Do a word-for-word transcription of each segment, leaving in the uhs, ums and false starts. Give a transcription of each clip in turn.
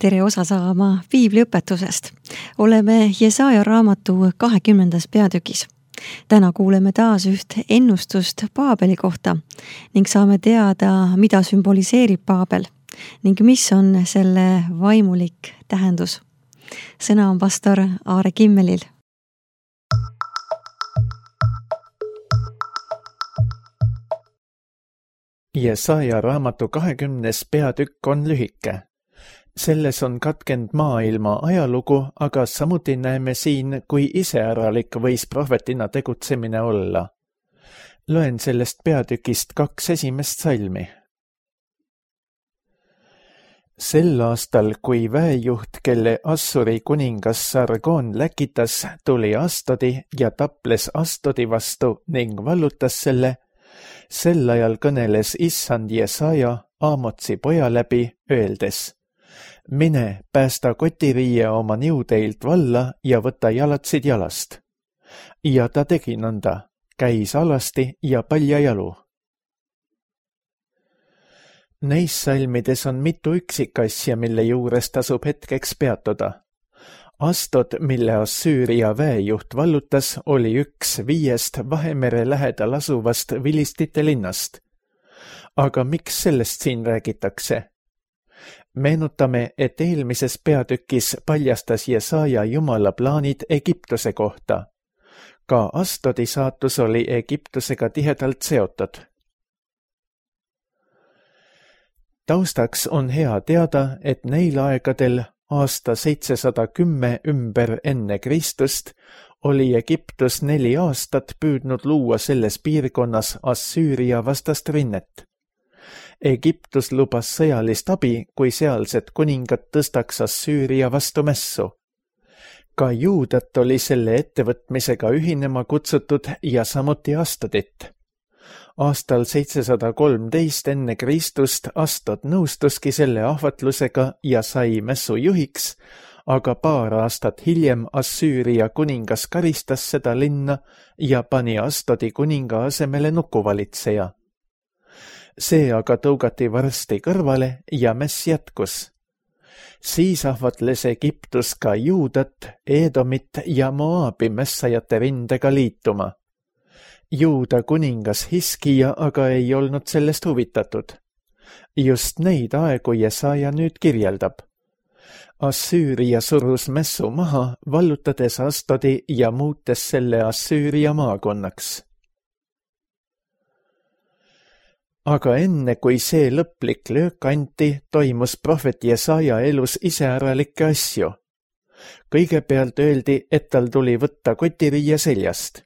tere osa saama piibliõpetusest. Oleme Jesaja raamatu kahekümnendas peatükis. Täna kuuleme taas üht ennustust Paabeli kohta ning saame teada, mida sümboliseerib Paabel ning mis on selle vaimulik tähendus. Sõna on pastor Aare Kimmelil. Jesaja raamatu kahekümnes peatükk on lühike. Selles on katkend maailma ajalugu, aga samuti näeme siin, kui iseäralik võis prohvetina tegutsemine olla. Loen sellest peatükist kaks esimest salmi. Sel aastal, kui väejuht, kelle Assuri kuningas Sargon läkitas, tuli Astodi ja taples Astodi vastu ning vallutas selle, sel ajal kõneles issand Jesaja Aamotsi poja läbi, öeldes: mine, päästa kotiriie oma niudeilt valla ja võta jalatsid jalast. Ja ta tegi nõnda, käis alasti ja palja jalu. Neis salmides on mitu üksikasja, mille juures tasub hetkeks peatuda. Astod, mille Assüüria väejuht vallutas, oli üks viiest Vahemere lähedal asuvast vilistite linnast. Aga miks sellest siin räägitakse? Meenutame, et eelmises peatükis paljastas Jesaja Jumala plaanid Egiptuse kohta. Ka Astodi saatus oli Egiptusega tihedalt seotud. Taustaks on hea teada, et neil aegadel aasta seitsesada kümme ümber enne Kristust oli Egiptus neli aastat püüdnud luua selles piirkonnas Assüüria vastast rinnet. Egiptus lubas sõjalist abi, kui sealsed kuningad tõstaks Assüüria vastu mässu. Ka Juudat oli selle ettevõtmisega ühinema kutsutud ja samuti Astodit. Aastal seitsesada kolmteist enne Kristust Astod nõustuski selle ahvatlusega ja sai mässu juhiks, aga paar aastat hiljem Assüüria kuningas karistas seda linna ja pani Astodi kuninga asemele nukuvalitseja. See aga tõugati varsti kõrvale ja mäss jätkus. Siis ahvatles Egiptus ka Juudat, Edomit ja Moaabi mässajate rindega liituma. Juuda kuningas Hiskija aga ei olnud sellest huvitatud. Just neid aegu Jesaja nüüd kirjeldab. Assüüria surus mässu maha, vallutades Astodi ja muutes selle Assüüria maakonnaks. Aga enne, kui see lõplik löök anti, toimus prohvet Jesaja elus iseäralikke asju. Kõigepealt öeldi, et tal tuli võtta kotiriie seljast.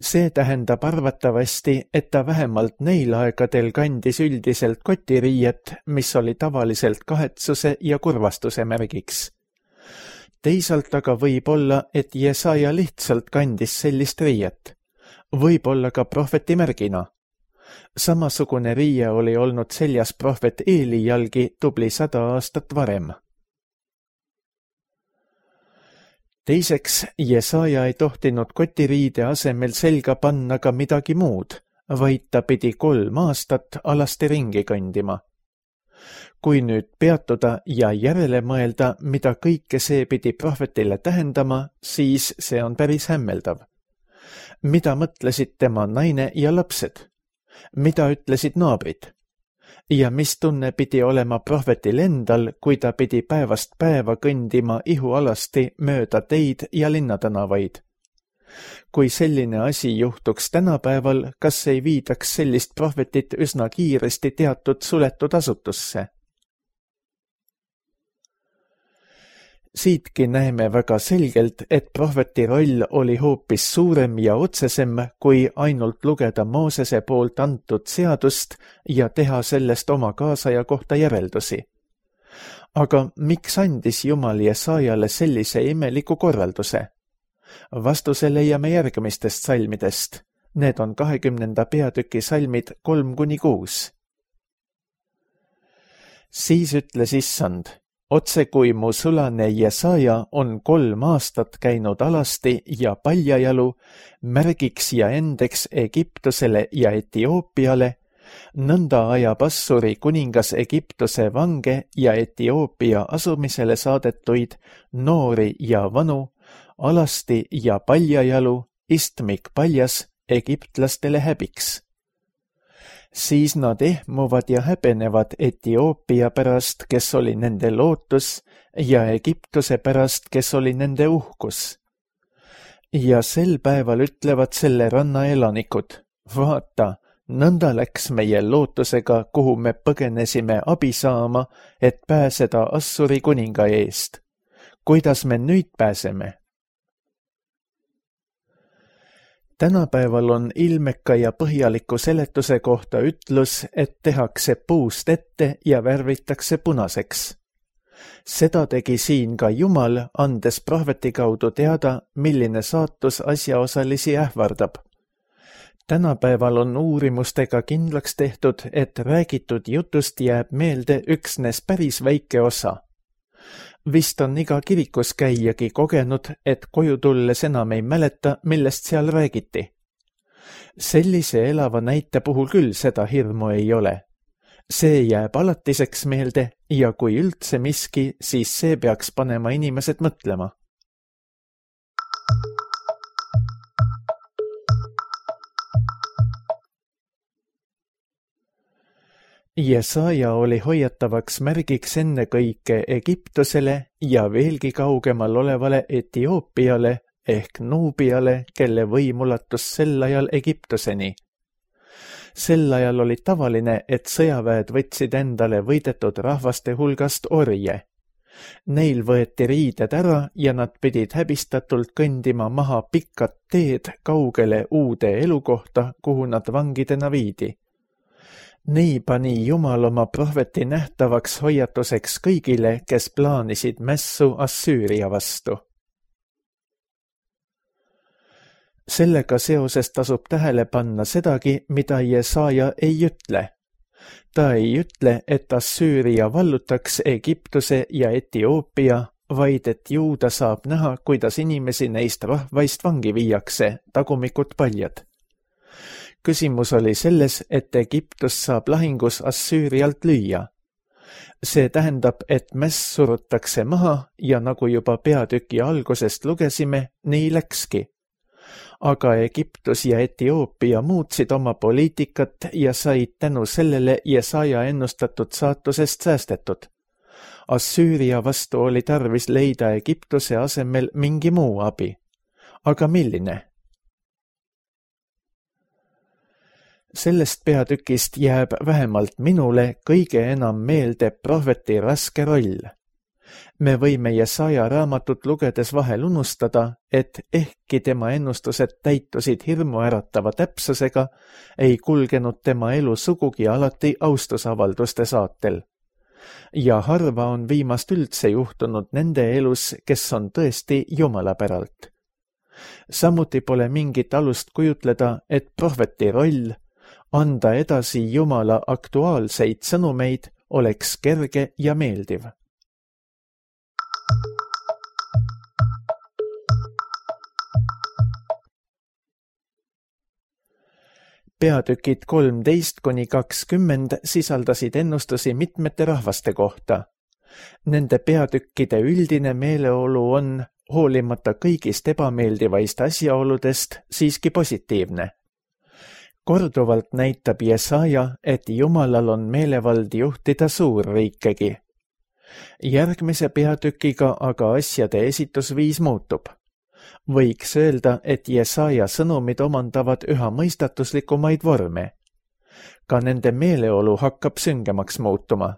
See tähendab arvatavasti, et ta vähemalt neil aegadel kandis üldiselt kotiriiet, mis oli tavaliselt kahetsuse ja kurvastuse märgiks. Teisalt aga võib olla, et Jesaja lihtsalt kandis sellist riiet. Võib olla ka prohveti märgina. Samasugune riie oli olnud seljas prohvet Eeli jalgi tubli sada aastat varem. Teiseks, Jesaja ei tohtinud kotiriide asemel selga panna ka midagi muud, vaid ta pidi kolm aastat alasti ringi kandima. Kui nüüd peatuda ja järele mõelda, mida kõike see pidi prohvetile tähendama, siis see on päris hämmeldav. Mida mõtlesid tema naine ja lapsed? Mida ütlesid naabrid? Ja mis tunne pidi olema prohvetil endal, kui ta pidi päevast päeva kõndima ihualasti mööda teid ja linnatänavaid? Kui selline asi juhtuks tänapäeval, kas ei viidaks sellist prohvetit üsna kiiresti teatud suletud asutusse? Siitki näeme väga selgelt, et prohveti roll oli hoopis suurem ja otsesem, kui ainult lugeda Moosese poolt antud seadust ja teha sellest oma kaasaja kohta järeldusi. Aga miks andis Jumal Jesajale sellise imeliku korralduse? Vastuse leiame järgmistest salmidest. Need on kahekümnenda peatüki salmid kolm kuni kuus. Siis ütles issand: otse kui mu sulane Jesaja on kolm aastat käinud alasti ja paljajalu, märgiks ja endeks Egiptusele ja Etioopiale, Nõnda ajab Assuri kuningas Egiptuse vange ja Etioopia asumisele saadetuid noori ja vanu, alasti ja paljajalu, istmik paljas, egiptlastele häbiks. Siis nad ehmuvad ja häbenevad Etioopia pärast, kes oli nende lootus, ja Egiptuse pärast, kes oli nende uhkus. Ja sel päeval ütlevad selle ranna elanikud, vaata, nõnda läks meie lootusega, kuhu me põgenesime abi saama, et pääseda Assuri kuninga eest. Kuidas me nüüd pääseme? Tänapäeval on ilmeka ja põhjaliku seletuse kohta ütlus, et tehakse puust ette ja värvitakse punaseks. Seda tegi siin ka Jumal, andes prohveti kaudu teada, milline saatus asjaosalisi ähvardab. Tänapäeval on uurimustega kindlaks tehtud, et räägitud jutust jääb meelde üksnes päris väike osa. Vist on iga kirikus käijagi kogenud, et koju tulles enam ei mäleta, millest seal räägiti. Sellise elava näite puhul küll seda hirmu ei ole. See jääb alatiseks meelde ja kui üldse miski, siis see peaks panema inimesed mõtlema. Jesaja oli hoiatavaks märgiks ennekõike Egiptusele ja veelgi kaugemal olevale Etioopiale ehk Nuubiale, kelle võim ulatus sel ajal Egiptuseni. Sel ajal oli tavaline, et sõjaväed võtsid endale võidetud rahvaste hulgast orje. Neil võeti riided ära ja nad pidid häbistatult kõndima maha pikad teed kaugele uude elukohta, kuhu nad vangidena viidi. Nii pani Jumal oma prohveti nähtavaks hoiatuseks kõigile, kes plaanisid mässu Assüüria vastu. Sellega seoses tasub tähele panna sedagi, mida Jesaja ei ütle. Ta ei ütle, et Assüüria vallutaks Egiptuse ja Etioopia, vaid et juuda saab näha, kuidas inimesi neist rahvaist vangi viiakse, tagumikud paljad. Küsimus oli selles, et Egiptus saab lahingus Assüürialt lüüa. See tähendab, et mäss surutakse maha ja nagu juba peatüki algusest lugesime, nii läkski. Aga Egiptus ja Etioopia muutsid oma poliitikat ja said tänu sellele Jesaja ennustatud saatusest säästetud. Assüüria vastu oli tarvis leida Egiptuse asemel mingi muu abi. Aga milline? Sellest peatükist jääb vähemalt minule kõige enam meelde prohveti raske roll. Me võime Jesaja raamatut lugedes vahel unustada, et ehkki tema ennustused täitusid hirmuäratava täpsusega, ei kulgenud tema elu sugugi alati austusavalduste saatel. Ja harva on viimast üldse juhtunud nende elus, kes on tõesti Jumala päralt. Samuti pole mingit alust kujutleda, et prohveti roll anda edasi Jumala aktuaalseid sõnumeid oleks kerge ja meeldiv. Peatükid kolmteist kuni kakskümmend sisaldasid ennustusi mitmete rahvaste kohta. Nende peatükkide üldine meeleolu on, hoolimata kõigist ebameeldivaist asjaoludest, siiski positiivne. Korduvalt näitab Jesaja, et Jumalal on meelevald juhtida suurriikegi. Järgmise peatükiga aga asjade esitusviis muutub. Võiks öelda, et Jesaja sõnumid omandavad üha mõistatuslikumaid vorme. Ka nende meeleolu hakkab süngemaks muutuma.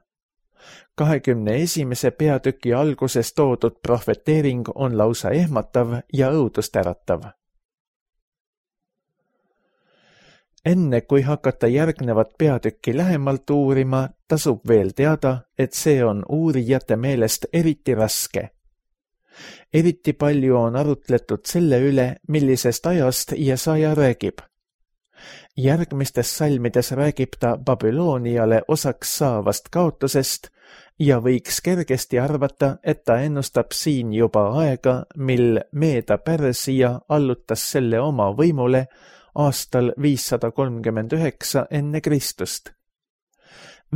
kahekümne esimese peatüki alguses toodud prohveteering on lausa ehmatav ja õudust äratav. Enne kui hakata järgnevat peatükki lähemalt uurima, tasub veel teada, et see on uurijate meelest eriti raske. Eriti palju on arutletud selle üle, millisest ajast Jesaja räägib. Järgmistes salmides räägib ta Babyloniale osaks saavast kaotusest ja võiks kergesti arvata, et ta ennustab siin juba aega, mil Meeda Pärsia allutas selle oma võimule, aastal viissada kolmkümmend üheksa enne Kristust.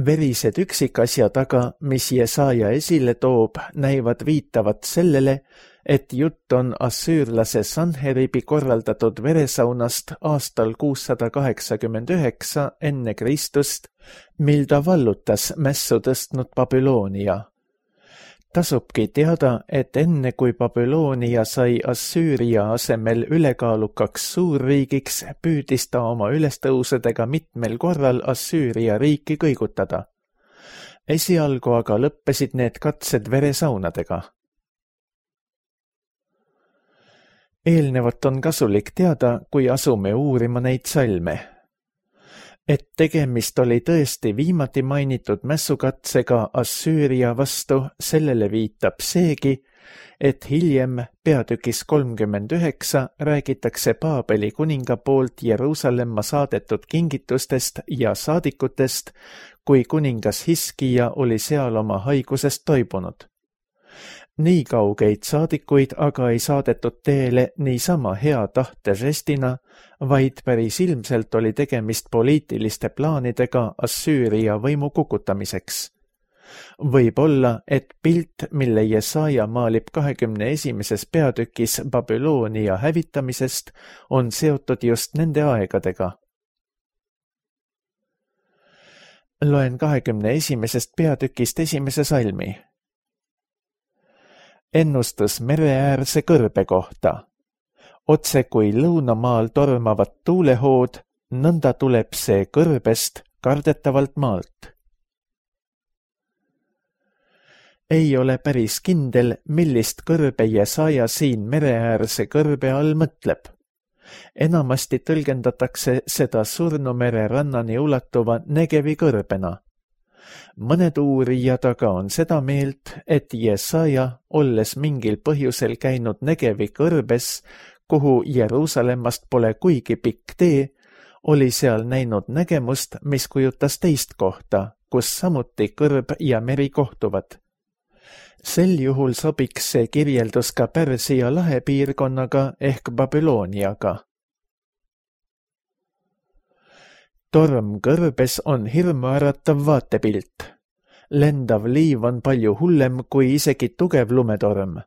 Verised üksikasjad aga, mis Jesaja esile toob, näivad viitavat sellele, et jutt on assüürlase Sanheribi korraldatud veresaunast aastal kuussada kaheksakümmend üheksa enne Kristust, mil ta vallutas mässu tõstnud Babyloonia. Tasubki teada, et enne kui Babyloonia sai Assüüria asemel ülekaalukaks suurriigiks, püüdis ta oma ülestõusedega mitmel korral Assüüria riiki kõigutada. Esialgu aga lõppesid need katsed veresaunadega. Eelnevat on kasulik teada, kui asume uurima neid salme. Et tegemist oli tõesti viimati mainitud mässukatsega Assüüria vastu, sellele viitab seegi, et hiljem peatükis kolmkümmend üheksa räägitakse Paabeli kuninga poolt Jeruusalemma saadetud kingitustest ja saadikutest, kui kuningas Hiskija oli seal oma haigusest toibunud. Nii kaugeid saadikuid aga ei saadetud teele niisama hea tahte žestina, vaid päris ilmselt oli tegemist poliitiliste plaanidega Assüüria võimu kukutamiseks. Võib olla, et pilt, mille Jesaja maalib kahekümne esimeses peatükis Babyloonia hävitamisest, on seotud just nende aegadega. Loen kahekümne esimesest peatükist esimese salmi. Ennustus mereäärse kõrbe kohta. Otse kui lõunamaal tormavad tuulehood, nõnda tuleb see kõrbest kardetavalt maalt. Ei ole päris kindel, millist kõrbe Jesaja siin mereäärse kõrbe all mõtleb. Enamasti tõlgendatakse seda Surnumere rannani ulatuva Negevi kõrbena. Mõned uurijad aga on seda meelt, et Jesaja, olles mingil põhjusel käinud Negevi kõrbes, kuhu Jeruusalemmast pole kuigi pikk tee, oli seal näinud nägemust, mis kujutas teist kohta, kus samuti kõrb ja meri kohtuvad. Sel juhul sobiks see kirjeldus ka Pärsia lahe piirkonnaga ehk Babyloniaga. Torm kõrbes on hirmuäratav vaatepilt. Lendav liiv on palju hullem kui isegi tugev lumetorm.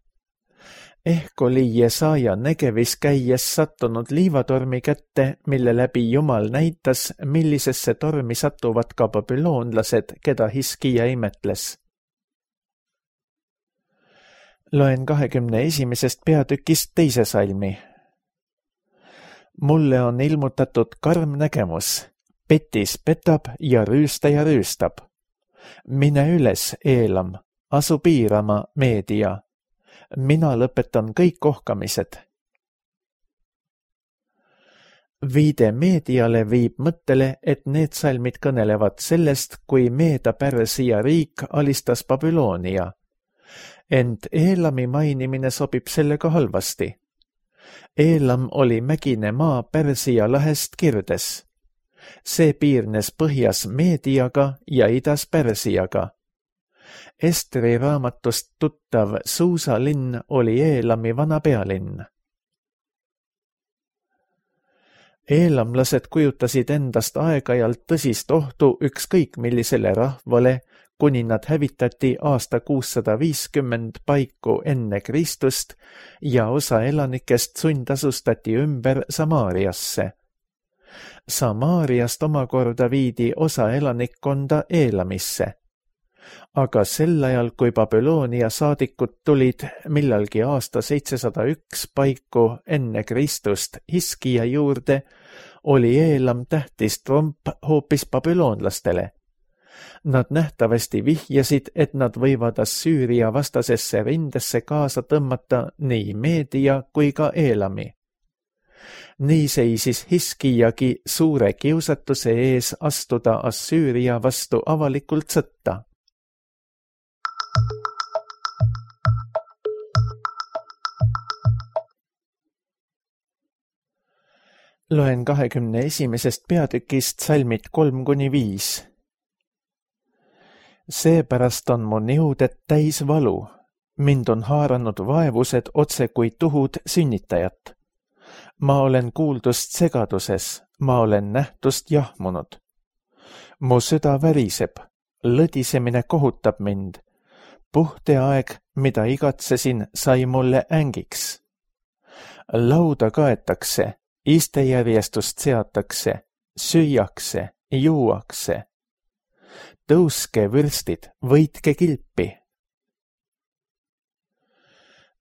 Ehk oli Jesaja Negevis käies sattunud liivatormi kätte, mille läbi Jumal näitas, millisesse tormi satuvad ka babüloonlased, keda Hiskija imetles. Loen kahekümne esimesest peatükist teise salmi. Mulle on ilmutatud karm nägemus. Petis petab ja rüüstaja rüüstab. Mine üles, Eelam, asu piirama, Meedia. Mina lõpetan kõik ohkamised. Viide Meediale viib mõttele, et need salmid kõnelevad sellest, kui Meeda-Pärsia riik alistas Babyloonia. Ent Eelami mainimine sobib sellega halvasti. Eelam oli mägine maa Pärsia lahest kirdes. See piirnes põhjas Meediaga ja idas Pärsiaga. Estri raamatust tuttav Suusa linn oli Eelami vana pealinn. Eelamlased kujutasid endast aeg-ajalt tõsist ohtu ükskõik millisele rahvale, kuni nad hävitati aasta kuussada viiskümmend paiku enne Kristust ja osa elanikest sundasustati ümber Samaariasse. Samaariast omakorda viidi osa elanikkonda Eelamisse. Aga sel ajal, kui Babyloonia saadikud tulid millalgi aasta seitsesada üks paiku enne Kristust Hiskija juurde, oli Eelam tähtis tromp hoopis babüloonlastele. Nad nähtavasti vihjasid, et nad võivad Assüüria vastasesse rindesse kaasa tõmmata nii Meedia kui ka Eelami. Nii seisis Hiskijagi suure kiusatuse ees astuda Assüüria vastu avalikult sõtta. Loen kahekümne esimesest peatükist salmid kolm kuni viis. Seepärast on mu niuded täis valu. Mind on haaranud vaevused otse kui tuhud sünnitajat. ma olen kuuldust segaduses, ma olen nähtust jahmunud. mu süda väriseb, lõdisemine kohutab mind. Puhteaeg, mida igatsesin, sai mulle ängiks. Lauda kaetakse, istejärjestust seatakse, süüakse, juuakse. Tõuske vürstid, võitke kilpi.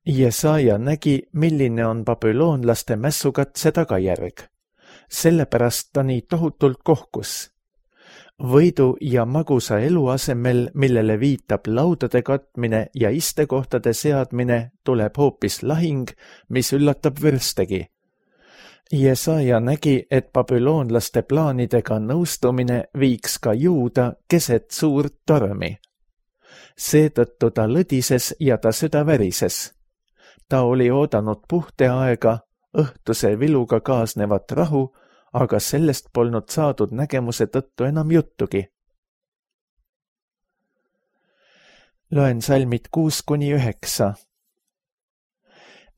Jesaja nägi, milline on babüloonlaste mässukatse tagajärg. Sellepärast ta nii tohutult kohkus. Võidu ja magusa elu asemel, millele viitab laudade katmine ja istekohtade seadmine, tuleb hoopis lahing, mis üllatab vürstegi. Jesaja nägi, et babüloonlaste plaanidega nõustumine viiks ka Juuda keset suurt tormi. Seetõttu ta lõdises ja ta süda värises. Ta oli oodanud puhteaega, õhtuse viluga kaasnevat rahu, aga sellest polnud saadud nägemuse tõttu enam juttugi. Loen salmid kuus kuni üheksa.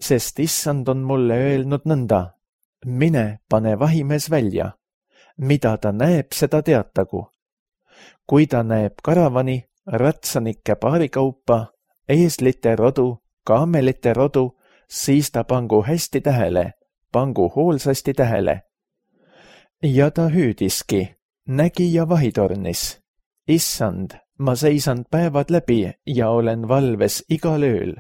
Sest issand on mulle öelnud nõnda, mine, pane vahimees välja. Mida ta näeb, seda teatagu. Kui ta näeb karavani, ratsanike paarikaupa, eeslite rodu, kaamelite rodu, siis ta pangu hästi tähele, pangu hoolsasti tähele. Ja ta hüüdiski, nägi ja vahitornis. Issand, ma seisan päevad läbi ja olen valves igal ööl.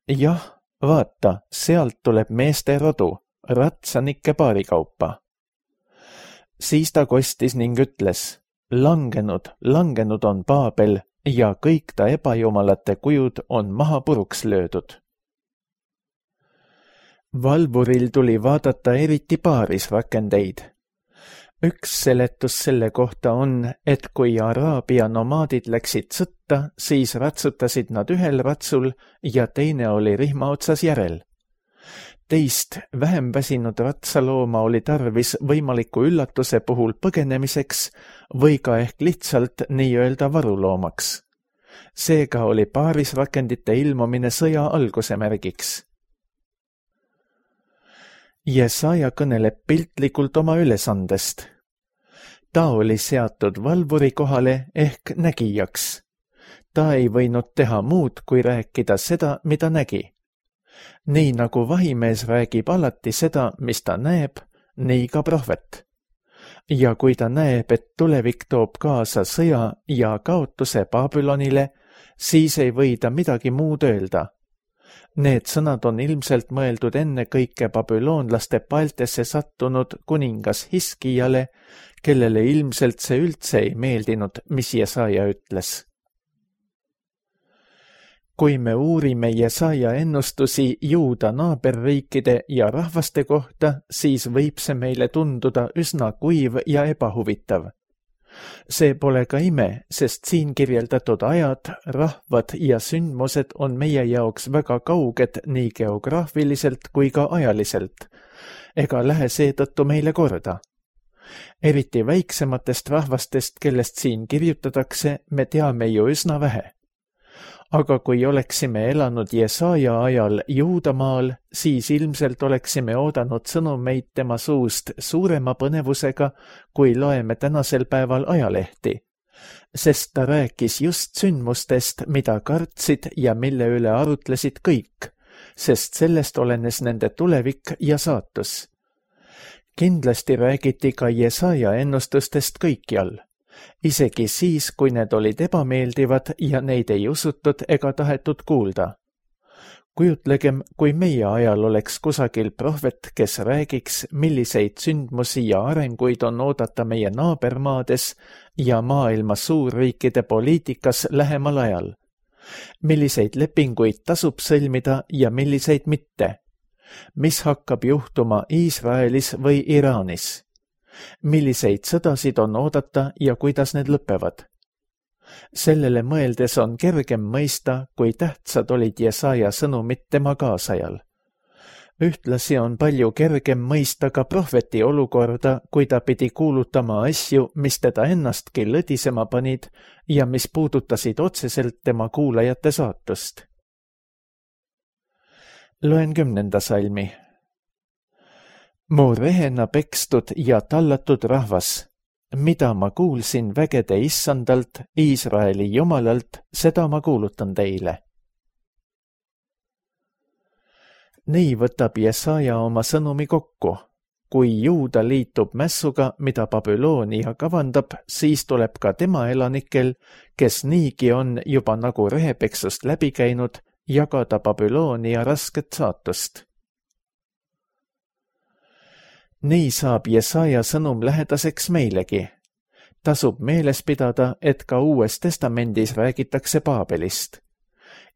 Jah, vaata, sealt tuleb meeste rodu, ratsanike paarikaupa. Siis ta kostis ning ütles, langenud, langenud on Paabel ja kõik ta ebajumalate kujud on maha puruks löödud. Valvuril tuli vaadata eriti paaris rakendeid. Üks seletus selle kohta on, et kui Araabia nomaadid läksid sõtta, siis ratsutasid nad ühel ratsul ja teine oli rihma otsas järel. Teist, vähem väsinud ratsalooma oli tarvis võimaliku üllatuse puhul põgenemiseks või ka ehk lihtsalt nii-öelda varuloomaks. Seega oli paarisrakendite ilmumine sõja alguse märgiks. Jesaja kõneleb piltlikult oma ülesandest. Ta oli seatud valvuri kohale ehk nägijaks. Ta ei võinud teha muud, kui rääkida seda, mida nägi. Nii nagu vahimees räägib alati seda, mis ta näeb, nii ka prohvet. Ja kui ta näeb, et tulevik toob kaasa sõja ja kaotuse Babylonile, siis ei või ta midagi muud öelda. Need sõnad on ilmselt mõeldud enne kõike babüloonlaste paeltesse sattunud kuningas Hiskijale, kellele ilmselt see üldse ei meeldinud, mis Jesaja ütles. Kui me uurime Jesaja ennustusi Juuda naaberriikide ja rahvaste kohta, siis võib see meile tunduda üsna kuiv ja ebahuvitav. See pole ka ime, sest siin kirjeldatud ajad, rahvad ja sündmused on meie jaoks väga kauged nii geograafiliselt kui ka ajaliselt, ega lähe seetõttu meile korda. Eriti väiksematest rahvastest, kellest siin kirjutatakse, me teame ju üsna vähe. Aga kui oleksime elanud Jesaja ajal Juudamaal, siis ilmselt oleksime oodanud sõnumeid tema suust suurema põnevusega, kui loeme tänasel päeval ajalehti. Sest ta rääkis just sündmustest, mida kartsid ja mille üle arutlesid kõik, sest sellest olenes nende tulevik ja saatus. Kindlasti räägiti ka Jesaja ennustustest kõikjal. Isegi siis, kui need olid ebameeldivad ja neid ei usutud ega tahetud kuulda. Kujutlegem, kui meie ajal oleks kusagil prohvet, kes räägiks, milliseid sündmusi ja arenguid on oodata meie naabermaades ja maailma suurriikide poliitikas lähemal ajal. Milliseid lepinguid tasub sõlmida ja milliseid mitte. Mis hakkab juhtuma Iisraelis või Iraanis? Milliseid sõdasid on oodata ja kuidas need lõpevad? Sellele mõeldes on kergem mõista, kui tähtsad olid Jesaja sõnumid tema kaasajal. Ühtlasi on palju kergem mõista ka prohveti olukorda, kui ta pidi kuulutama asju, mis teda ennastki lõdisema panid ja mis puudutasid otseselt tema kuulajate saatust. Loen kümnenda salmi. mu rehena pekstud ja tallatud rahvas, mida ma kuulsin vägede issandalt, Iisraeli jumalalt, seda ma kuulutan teile. Nii võtab Jesaja oma sõnumi kokku. Kui Juuda liitub mässuga, mida Babyloonia kavandab, siis tuleb ka tema elanikel, kes niigi on juba nagu rehepeksust läbi käinud, jagada Babyloonia rasket saatust. Nii saab Jesaja sõnum lähedaseks meilegi. Tasub meeles pidada, et ka Uues Testamendis räägitakse Paabelist.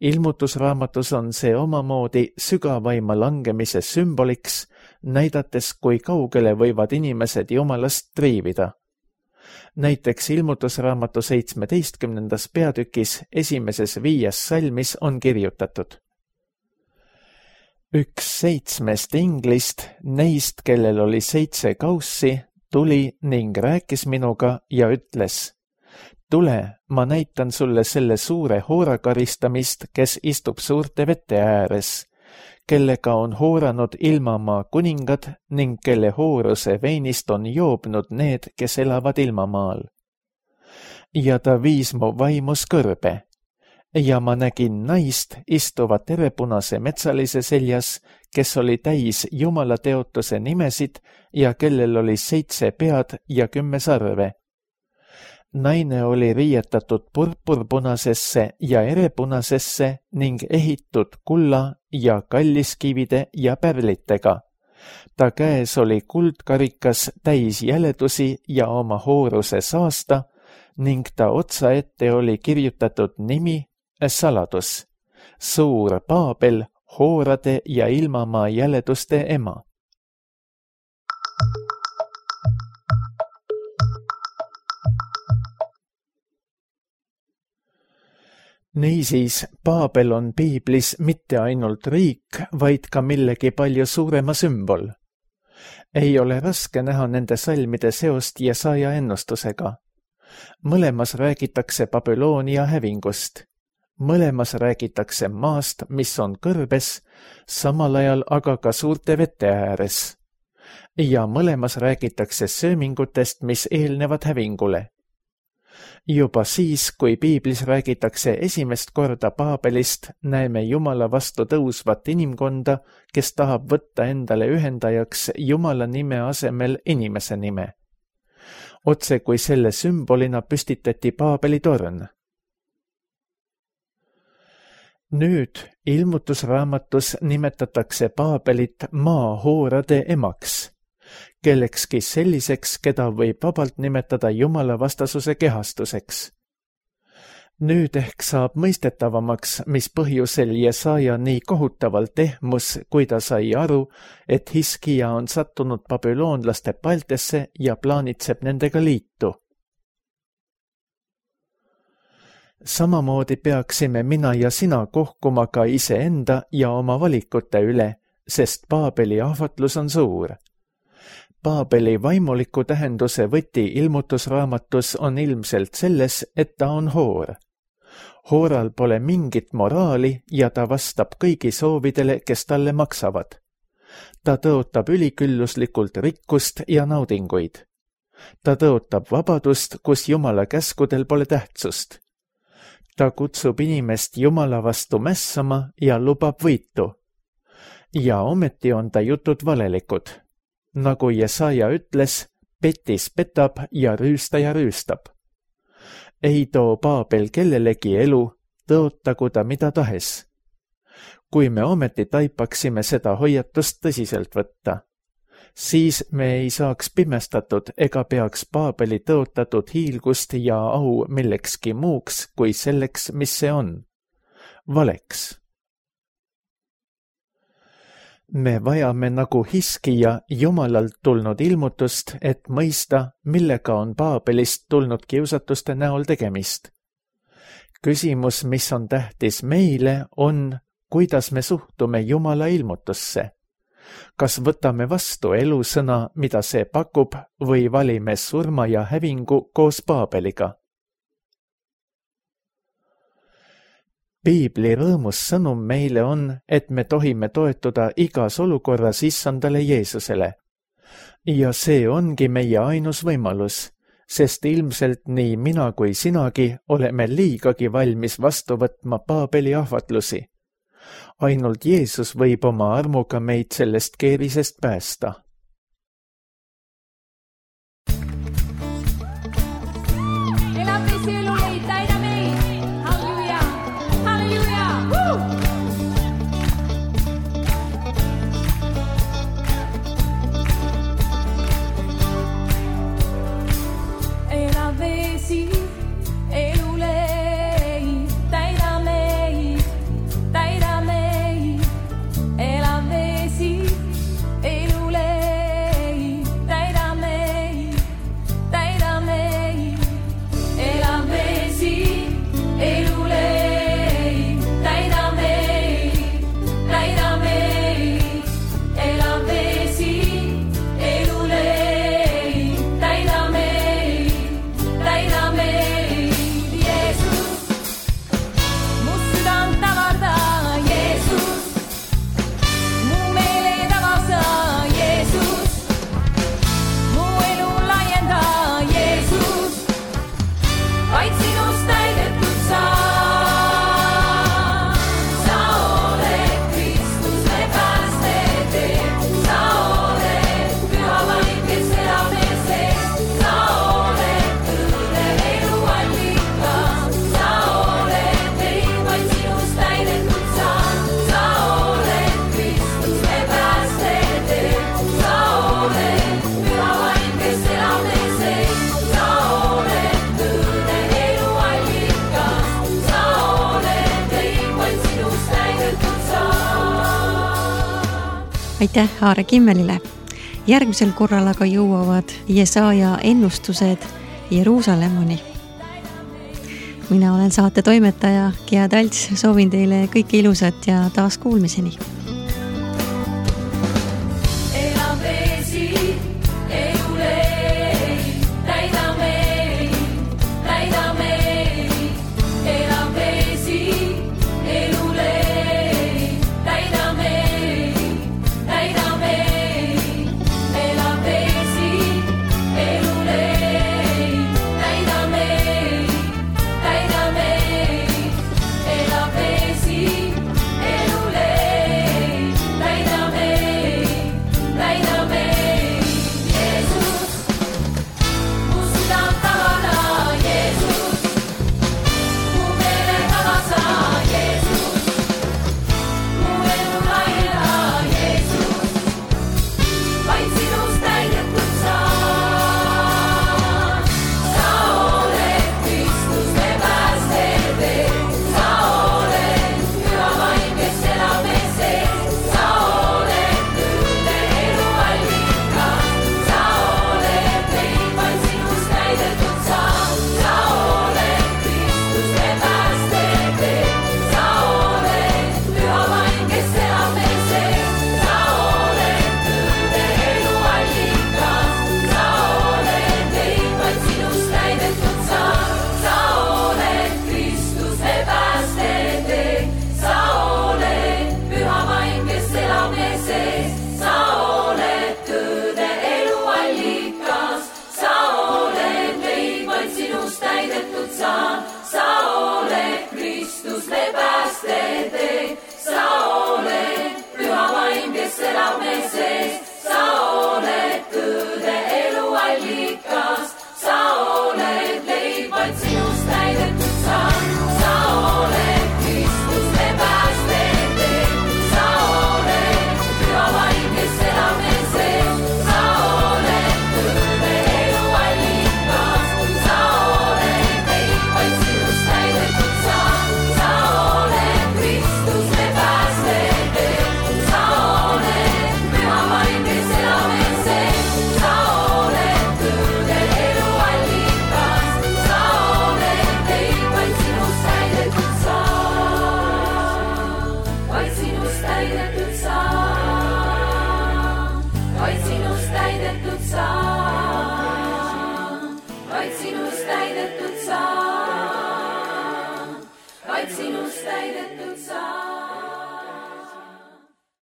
Ilmutusraamatus on see omamoodi sügavaima langemise sümboliks, näidates, kui kaugele võivad inimesed jumalast triivida. Näiteks ilmutusraamatu seitsmeteistkümnendas peatükis esimeses viies salmis on kirjutatud. Üks seitsmest inglist, neist, kellel oli seitse kaussi, tuli ning rääkis minuga ja ütles: tule, ma näitan sulle selle suure hoora karistamist, kes istub suurte vete ääres, kellega on hooranud ilmamaa kuningad ning kelle hooruse veinist on joobnud need, kes elavad ilmamaal. Ja ta viis mu vaimus kõrbe, ja ma nägin naist istuvat erepunase metsalise seljas, kes oli täis Jumala teotuse nimesid ja kellel oli seitse pead ja kümme sarve. Naine oli riietatud purpurpunasesse ja erepunasesse ning ehitud kulla ja kalliskivide ja pärlitega. Ta käes oli kuldkarikas täis jäledusi ja oma hooruse saasta ning ta otsa ette oli kirjutatud nimi, saladus, suur Paabel, hoorade ja ilmamaa jäleduste ema. Niisiis, Paabel on piiblis mitte ainult riik, vaid ka millegi palju suurema sümbol. Ei ole raske näha nende salmide seost Jesaja ennustusega. Mõlemas räägitakse Babyloonia hävingust. Mõlemas räägitakse maast, mis on kõrbes, samal ajal aga ka suurte vete ääres. Ja mõlemas räägitakse söömingutest, mis eelnevad hävingule. Juba siis, kui piiblis räägitakse esimest korda Paabelist, näeme Jumala vastu tõusvat inimkonda, kes tahab võtta endale ühendajaks Jumala nime asemel inimese nime. Otse kui selle sümbolina püstitati Paabeli torn. Nüüd ilmutusraamatus nimetatakse Paabelit maahoorade emaks, kellekski selliseks, keda võib vabalt nimetada Jumala vastasuse kehastuseks. Nüüd ehk saab mõistetavamaks, mis põhjusel Jesaja nii kohutavalt ehmus, kui ta sai aru, et Hiskija on sattunud babüloonlaste paltesse ja plaanitseb nendega liitu. Samamoodi peaksime mina ja sina kohkuma ka iseenda ja oma valikute üle, sest Paabeli ahvatlus on suur. Paabeli vaimuliku tähenduse võti ilmutusraamatus on ilmselt selles, et ta on hoor. Hooral pole mingit moraali ja ta vastab kõigi soovidele, kes talle maksavad. Ta tõotab ülikülluslikult rikkust ja naudinguid. Ta tõotab vabadust, kus Jumala käskudel pole tähtsust. Ta kutsub inimest Jumala vastu mässama ja lubab võitu. Ja ometi on ta jutud valelikud. Nagu Jesaja ütles, petis petab ja rüüstaja rüüstab. Ei too Paabel kellelegi elu, tõotagu ta mida tahes. Kui me ometi taipaksime seda hoiatust tõsiselt võtta, siis me ei saaks pimestatud ega peaks Paabeli tõotatud hiilgust ja au millekski muuks kui selleks, mis see on. Valeks. Me vajame nagu Hiskija Jumalalt tulnud ilmutust, et mõista, millega on Paabelist tulnud kiusatuste näol tegemist. Küsimus, mis on tähtis meile, on, kuidas me suhtume Jumala ilmutusse. Kas võtame vastu elusõna, mida see pakub, või valime surma ja hävingu koos Paabeliga? Piibli rõõmus sõnum meile on, et me tohime toetuda igas olukorras issandale Jeesusele, ja see ongi meie ainus võimalus, sest ilmselt nii mina kui sinagi oleme liigagi valmis vastu võtma Paabeli ahvatlusi. Ainult Jeesus võib oma armuga meid sellest keerisest päästa. Aitäh Aare Kimmelile. Järgmisel korral aga jõuavad Jesaja ennustused Jeruusalemmani. Mina olen saate toimetaja Gea Talts, soovin teile kõike ilusat ja taas kuulmiseni. Sa oled püha vaim, kes elab mees sees.